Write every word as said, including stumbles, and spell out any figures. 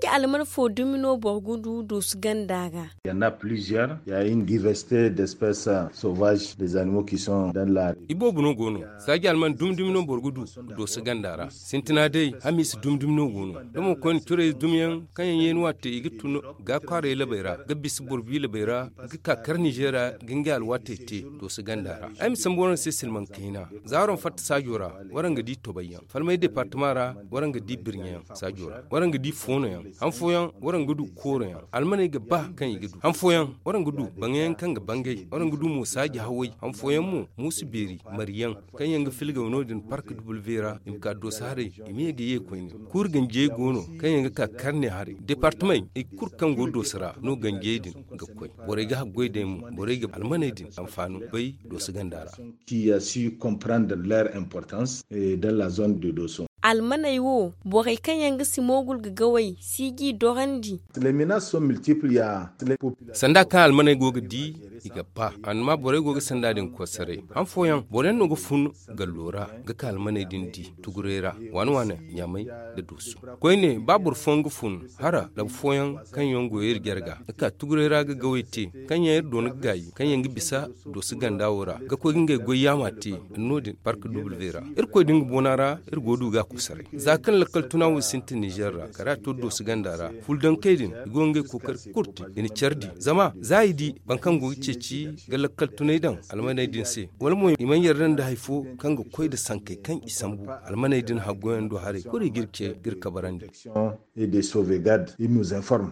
Alman fo dumi no boro ga du doosu ganda ra. Il y en a plusieurs. Il y a une diversité d'espèces sauvages des animaux qui sont dans la. Iboobo no go no. Saaji alman dumi dumi no boro ga du doosu ganda ra. Sintina day, hamiisa dumi dumi no go no. Da mo koyne curey dumiyaŋ kaŋ yaŋ yeeni waate i ga tun ga kwaaray labey ra ga bisa boro bi labey ra, ga ka kar nizeer ra ga ngey alwaatey te doosu ganda ra. Ay ma sambu waraŋ se silmaŋ kayna. Za waraŋ fatta saajo ra, waraŋ ga di tobayyaŋ. Falmay departama ra, waraŋ ga di birɲeyaŋ saajo ra, waraŋ ga di foonoyaŋ. Han fooyaŋ, waraŋ ga du kooroyaŋ. Almaney ga ba kaŋ i ga du han fooyaŋ, waraŋ ga du baŋyaŋ kaŋ ga bangay, waraŋ ga du mo saaji haway. Han fooyaŋ mo, muusu beeri, mariyaŋ, kaŋ yaŋ ga filgaw no- din park duble vera i ma ka dooso haray. I ma ye ga ye koyne. Kuuri ganjey go no kaŋ yaŋ ga ka karne haray departamey i kulu kaŋ go dooso ra no ganjey din ga koy. Borey ga haggoy day mo, borey ga almaney din anfaano bay dooso ganda ra. Qui a su comprendre leur importance dans la zone de dooso. Almaney wo, borey kaŋ yaŋ ga si moogul ga gawey si g'i dorandi. Sanda kaŋ almaney go ga di, i ga ba. Amma borey go ga sanda din kosaray. Han fooyaŋ boro yaŋ no ga fun gallo ra ga ka almaney din di tuguray ra, waane waane ɲaamay nda dooso. Koyne ba boro fooyaŋ ga fun hara labu fooyaŋ kaŋ yaŋ go iri jarga ga ka tuguray ra ga gawey te, kaŋ yaŋ iri doona ga gaayi, kaŋ yaŋ ga bisa dooso ganda wo ra ga koy ga ngey goy yaama te. No- din park duble vera irkoy din ga boona ra. Iri go ga du ga a kosaray za kaŋ lakkal tuna wo sintin nizer ra kala a to dooso ganda ra. Fuldankey din i go ga ngey kookari kulu te i na care di zama za i di boro kaŋ go ga ceeci ga lakkal tunay daŋ almaney din se, wala mo i mana yarda nda hari fo kaŋ ga koy nda sankey kaŋ i sambu. Almaney din haggoyaŋ do haray kulu i ga iri ce ga iri kabarandi. Et de sauvegarde il nous informe.